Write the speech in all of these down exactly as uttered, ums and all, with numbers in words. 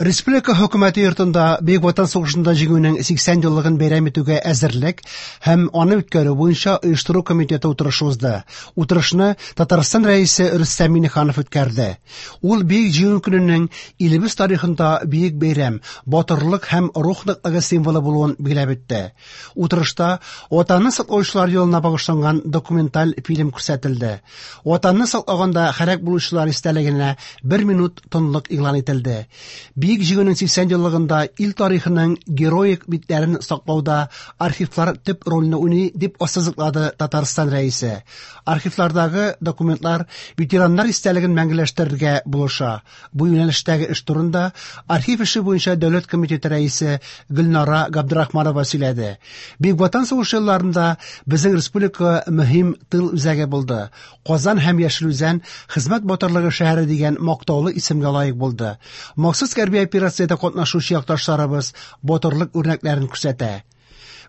Республика хөкүмәте йортында Бөек Ватан сугышында җиңүнең сиксән еллыгын бәйрәм итүгә әзерлек һәм аны үткәрү буенча оештыру комитеты утырышы узды. Утырышны Татарстан Рәисе Рөстәм Миңнеханов үткәрде. Ул Бөек Җиңү көненең илебез тарихында бөек бәйрәм, батырлык һәм рух ныклыгы символы булуын билгеләп үтте. Утырышта Ватанны саклаучылар елына багышланган документаль фильм күрсәтелде. Ватанны саклаганда һәлак булучылар истәлегенә бер минут тынлык игълан ителде. Бөек Җиңүнең сиксән еллыгында ил тарихының героик битләрен саклауда архивлар төп рольне уйный, дип ассызыклады Татарстан Рәисе. Архивлардагы документлар ветераннар истәлеген мәңгеләштерергә булыша. Бу юнәлештәге эш турында архив эше буенча дәүләт комитеты рәисе Гөлнара Габдрахманова сөйләде. Бөек Ватан сугышы елларында безнең республика мөһим тыл үзәге булды. Казан һәм Яшел Үзән хезмәт батырлыгы шәһәре дигән мактаулы исемгә лаек булды. Махсус хәрби операциядә катнашучы якташларыбыз батырлык үрнәкләрен күрсәтә.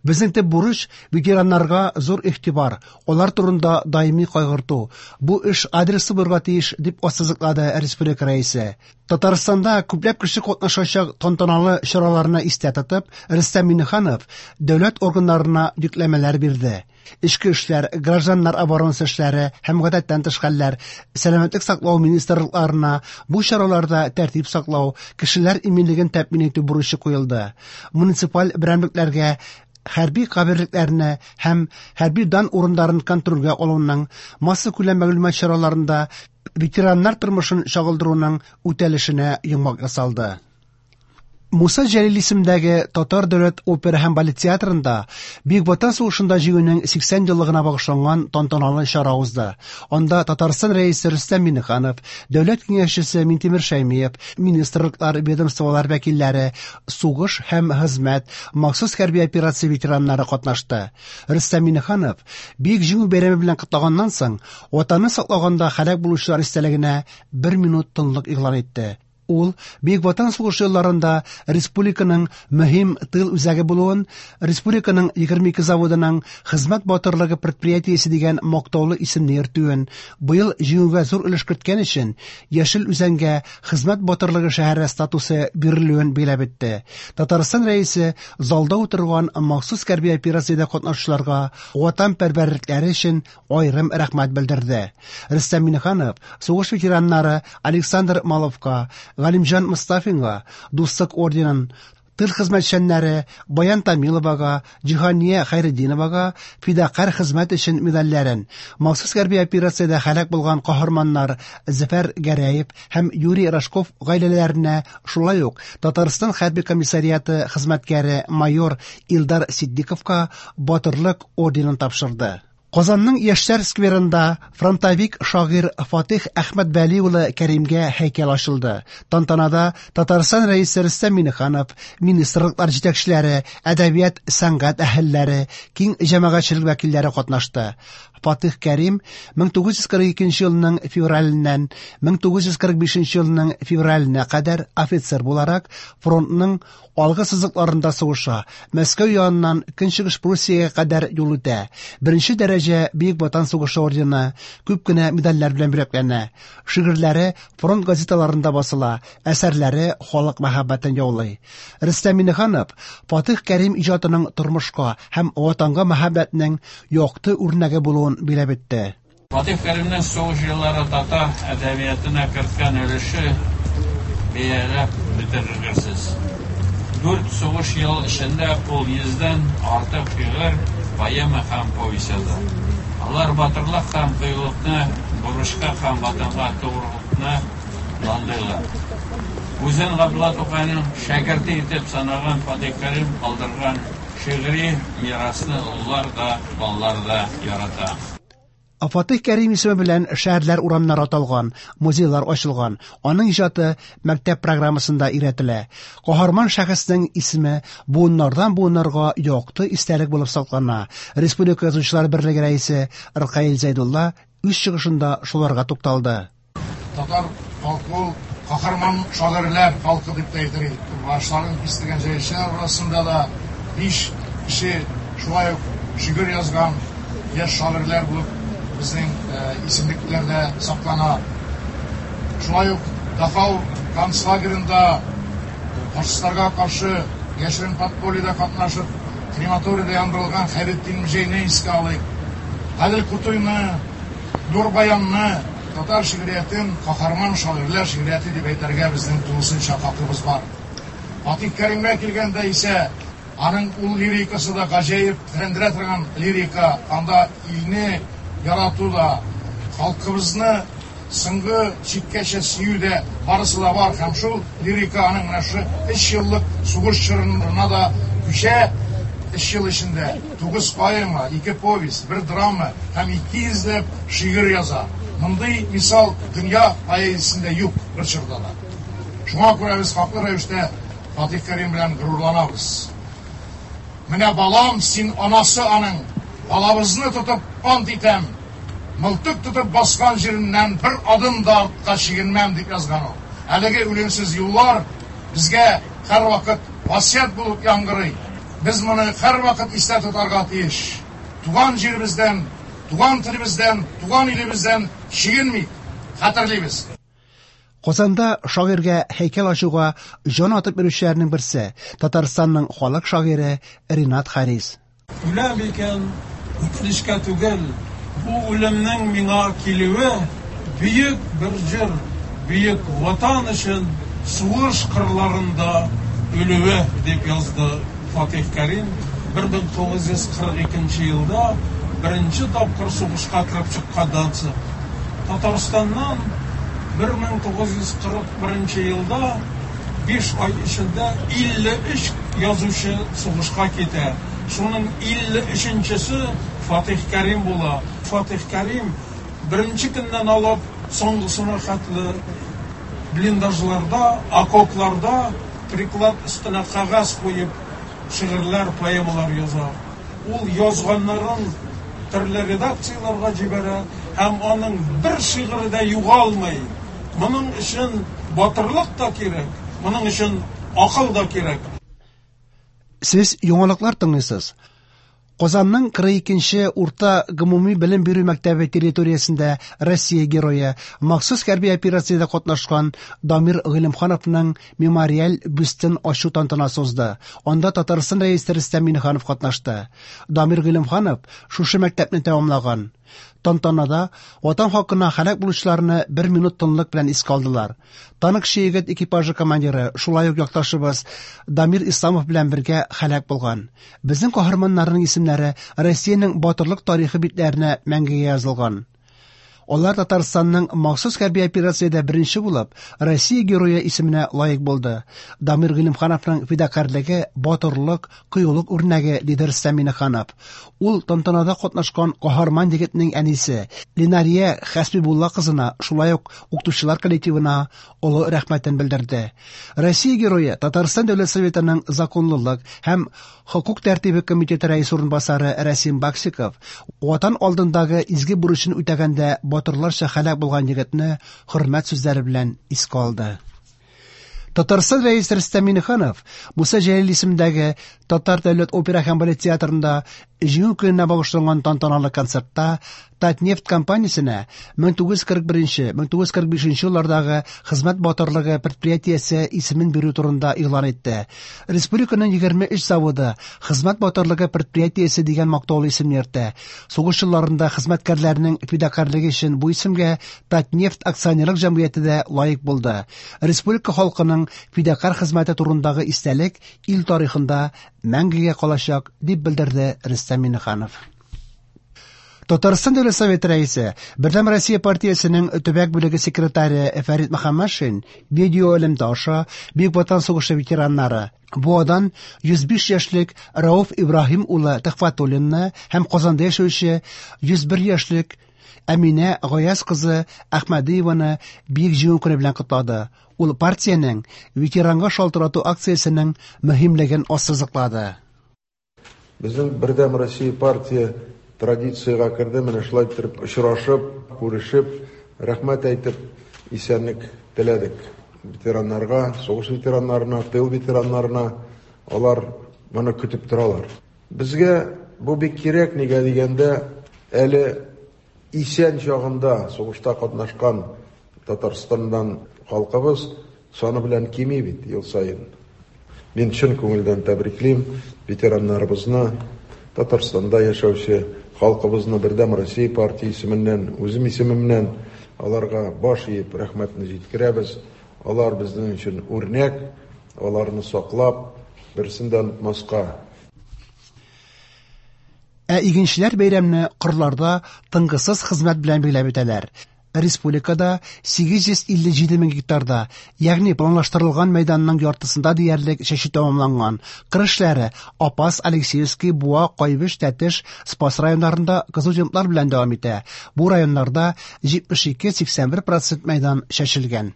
Безнең төп бурыч ветераннарга зур игътибар, алар турында даими кайгырту. Бу эш адреслы булырга тиеш, дип ассызыклады республика рәисе. Татарстанда күпләп кеше катнашачак тантаналы чараларны истә тотып, Рөстәм Миңнеханов дәүләт органнарына йөкләмәләр бирде. Эчке эшләр, гражданнар оборонасы эшләре һәм гадәттән тыш хәлләр, сәламәтлек саклау министрлыкларына бу чараларда тәртип саклау, кешеләр иминлеген тәэмин итү бурычы куелды. Муниципаль берәмлекләргә хәрби каберлекләрне һәм хәрби дан урыннарын контрольгә алуның, массакүләм мәгълүмат чараларында ветераннар тормышын чагылдыруның үтәлешенә йомгак ясалды. Муса Җәлил исемендәге Татар дәүләт опера һәм балет театрында Бөек Ватан сугышында җиңүнең сиксән еллыгына багышланган тантаналы чара узды. Анда Татарстан Рәисе Рөстәм Миңнеханов, Дәүләт киңәшчесе Минтимер Шәймиев, министрлыклар, ведомстволар вәкилләре, сугыш һәм хезмәт, махсус хәрби операция ветераннары катнашты. Рөстәм Миңнеханов Бөек Җиңү бәйрәме белән котлаганнан соң, Ватанны саклаганда һәлак булучылар истәлегенә бер минут тынлык игълан итте. Ул Бөек Ватан сугышы елларында республиканың мөһим тыл үзәге булуын, республиканың егерме ике заводының хезмәт батырлыгы предприятиесе дигән мактаулы исемне йөртүен, быел җиңүгә зур өлеш керткән өчен Яшел Үзәнгә хезмәт батырлыгы шәһәре статусы бирелүен билгеләп үтте. Татарстан Рәисе залда утырган махсус хәрби операциядә катнашучыларга ватанпәрвәрлекләре өчен аерым рәхмәт белдерде. Рөстәм Миңнеханов сугыш ветераннары Александр Маловка, Галимҗан Мостафинга Дуслык орденын, тыл хезмәтчәннәре Баян Тамиловага, Җиһания Хәйретдиновага фидакарь хезмәт өчен медальләрен, махсус хәрби операциядә һәлак булган каһарманнар Зөфәр Гәрәев һәм Юрий Рожков гаиләләренә, шулай ук Татарстан хәрби комиссариаты хезмәткәре майор Илдар Ситдиковка Батырлык орденын тапшырды. Казанның Яшьләр скверында фронтовик шагыйрь Фатих Әхмәтвәли улы Кәримгә һәйкәл ачылды. Тантанада Татарстан Рәисе Рөстәм Миңнеханов, министрлыклар җитәкчеләре, әдәбият, сәнгать әһелләре, киң җәмәгатьчелек вәкилләре катнашты. Фатих Кәрим мең тугыз йөз кырык икенче елның февраленнән мең тугыз йөз кырык бишенче елның февраленә кадәр офицер буларак фронтның алгы сызыкларында сугыша, Мәскәү яныннан Көнчыгыш Пруссиягә кадәр юл үтә. Беренче дәрәҗә Бөек Ватан сугышы ордены, күп кенә медальләр белән бүләкләнә. Шигырьләре фронт газеталарында басыла, әсәрләре халык мәхәббәтен яулый. Рөстәм Миңнеханов Фатих Кәрим иҗатының тормышка һәм ватанга мәхәббәтнең якты үрнәге булуын билгеләп үтте. Фатих Кәримнең сугыш еллары татар әдәбиятына керткән өлеше бәяләп бетергесез. Дүрт сугыш ел эчендә ул йөздән артык шигырь, поэма һәм повесть яза. Алар батырлык һәм кыюлыкны, бурычка һәм ватанга тугрылыкны данлыйлар. Үзен Габдулла Тукайның шәкерте итеп санаган Фатих Кәрим калдырган шигъри мирасны олылар да, балалар да ярата. Фатих Кәрим исеме белән шәһәрләр урамнары аталган, музейлар ачылган. Аның иҗаты мәктәп программасында өйрәтелә. Каһарман шәхеснең исеме буыннардан буыннарга якты истәлек булып саклана. Республика Язучылар берлеге рәисе Ркаил Зәйдулла үз чыгышында шуларга тукталды. Татар халкы ул каһарман шагыйрьләр халкы дип тә әйтер идек. Башларын кистергән җәйләүчеләр арасында да биш кеше шулай ук шигырь язган яшь шагыйрьләр булып безнең, э, исемлекләрдә саклана. Шулай ук Дахау концлагерында Фашистларга каршы яшерен подпольеда катнашып, крематорийда яндырылган Хәйретдин Мөҗәйне искә алыйк. Гадел Кутуйны, Нур Баянны, татар шигъриятен каһарман шагыйрьләр шигърияте дип әйтергә безнең тулысынча хакыбыз бар. Фатих Кәримгә килгәндә исә, аның ул лирикасы да гаҗәеп тетрәндерә торган лирика, анда илне ярату да, халкыбызны соңгы чиккәчә сөю дә барысы да бар. Һәм шул лирика аның менә шушы өч еллык сугыш чорына да күчә. Өч ел эчендә тугыз поэма, ике повесть, бер драма һәм ике йөзләп шигырь яза. Мондый мисал дөнья поэзиясендә юк бер чорда да. Шуңа күрә без хаклы рәвештә Фатих Кәрим белән горурланабыз. Менә балам, син анасы аның, балабызны тотып ант итәм, мылтык тотып баскан җиреннән бер адым да артка чигенмәм, дип язган ул. Әлеге үлемсез юллар безгә һәрвакыт васыять булып яңгырый. Без моны һәрвакыт истә тотарга тиеш. Туган җиребездән, туган телебездән, туган илебездән чигенмик, хәтерлибез. Казанда шагыйрьгә һәйкәл ачуга җан атып йөрүчеләрнең берсе Татарстанның халык шагыйре Ринат Харис. Үләм икән, үкенечкә түгел, бу үлемнең миңа килүе бөек бер җыр, бөек ватан өчен сугыш кырларында үлүе, дип язды Фатих Кәрим. Бер мең тугыз йөз кырык икенче елда беренче тапкыр сугышка кереп чыкканнан соң Татарстаннан бер мең тугыз йөз кырык беренче елда биш ай эчендә илле өч язучы сугышка китә. Шуның илле өченчесе Фатих Кәрим була. Фатих Кәрим беренче көннән алып соңгысына хәтле блиндажларда, окопларда приклад өстенә кәгазь куеп шигырьләр, поэмалар яза. Ул язганнарын төрле редакцияләргә җибәрә һәм аның бер шигыре дә югалмый. Моның өчен батырлык та кирәк, моның өчен акыл да кирәк. Сез яңалыклар тыңлыйсыз. Казанның кырык икенче урта гомуми белем бирү мәктәбе территориясендә Россия герое, махсус хәрби операциядә катнашкан Дамир Гыйлемхановның мемориаль бюстын ачу тантанасы узды. Анда Татарстан рәисе Рөстәм Миңнеханов катнашты. Дамир Гыйлемханов шушы мәктәпне тәмамлаган. Тантанада ватан хакына һәлак булучыларны бер минут тынлык белән искә алдылар. Танкчы егет экипажы командиры, шулай ук якташыбыз Дамир Исламов белән бергә һәлак булган. Безнең каһарманнарның исемнәре Россиянең батырлык тарихы битләренә мәңгегә язылган. Алар Татарстанның махсус хәрби операциядә беренче булып, Россия герое исеменә лаек булды. Дамир Гыйлемхановның фидакарьлеге, батырлык, кыюлык үрнәге, диде Рөстәм Миңнеханов. Ул тантанада катнашкан каһарман егетнең әнисе Ленария Хәсбибулла кызына, шулай ук укытучылар коллективына олы рәхмәтен белдерде. Россия герое Татарстан Дәүләт Советының законлылык һәм хокук тәртибе комитеты рәисе урынбасары Рәсим Баксиков ватан алдындагы изге бурычын үтәгәндә батырларча һәлак булган егетне хөрмәт сүзләре белән искә алды. Татарстан рәисе Рөстәм Миңнеханов Муса Җәлил исемендәге Татар дәүләт опера һәм балет театрында Җиңү көненә багышланган тантаналы концертта Татнефть компаниясенә мең тугыз йөз кырык беренче, мең тугыз йөз кырык бишенче еллардагы хезмәт батырлыгы предприятиесе исемен бирү турында игълан итте. Республиканың егерме өч заводы хезмәт батырлыгы предприятиесе дигән мактаулы исемне йөртә. Сугыш елларында хезмәткәрләрнең фидакарьлеге өчен бу исемгә Татнефть акционерлык җәмгыяте дә лаек булды. Республика халкының фидакарь хезмәте турындагы истәлек ил тарихында мәңгегә калачак, дип белдерде Рөстәм Миңнеханов. Татарстан Дәүләт Советы рәисе, Бердәм Россия партиясенең төбәк бүлеге секретаре Фәрит Мөхәммәтшин видео элемтә аша Бөек Ватан сугышы ветераннары Буадан йөз биш яшьлек Рауф Ибраһим улы Төхфәтуллинны һәм Казанда яшәүче йөз бер яшьлек Әминә Гаяз кызы Әхмәдиеваны Бөек Җиңү көне белән котлады. Ул партиянең ветеранга шалтырату акциясенең мөһимлеген ассызыклады. Безнең Бердәм Россия партия традициягә керде, менә шулай итеп очрашып, күрешеп, рәхмәт әйтеп, исәнлек теләдек. Ветераннарга, сугыш ветераннарына, тыл ветераннарына, алар моны көтеп торалар. Безгә бу бик кирәк, нигә дигәндә, әле исән чагында сугышта катнашкан Татарстаннан халкыбыз саны белән кими бит ел саен. Мин чын күңелдән тәбриклим ветераннарыбызны, Татарстанда яшәүче халкыбызны Бердәм Россия партия исеменнән, үзем исемемнән аларга баш иеп рәхмәтне җиткерәбез. Алар безнең өчен үрнәк, аларны саклап, берсен дә онытмаска. Ә игенчеләр бәйрәмне кырларда тынгысыз хезмәт белән билгеләп үтәләр. Республикада сигез йөз илле җиде мең гектарда, ягъни планлаштырылган мәйданның яртысында диярлек чәчү тәмамланган. Кыр эшләре Апас, Алексеевский, Буа, Кайбыч, Тәтеш, Спас районнарында кызу темплар белән дәвам итә. Бу районнарда җитмеш ике сиксән бер процент мәйдан чәчелгән.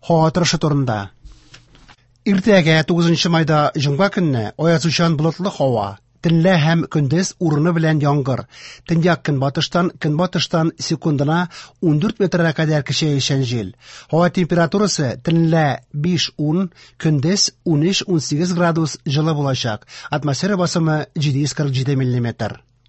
Һава торышы турында. Иртәгә тугызынчы майда җомга көнне аязучан болытлы һава. Төнлә һәм көндез урыны белән яңгыр. Төньяк көнбатыштан, көнбатыштан секундына ундүрт метрга кадәр көчәючән җил. Һава температурасы төнлә биш ун, көндез унөч унсигез градус җылы булачак. Атмосфера басымы җиде йөз кырык җиде миллиметр.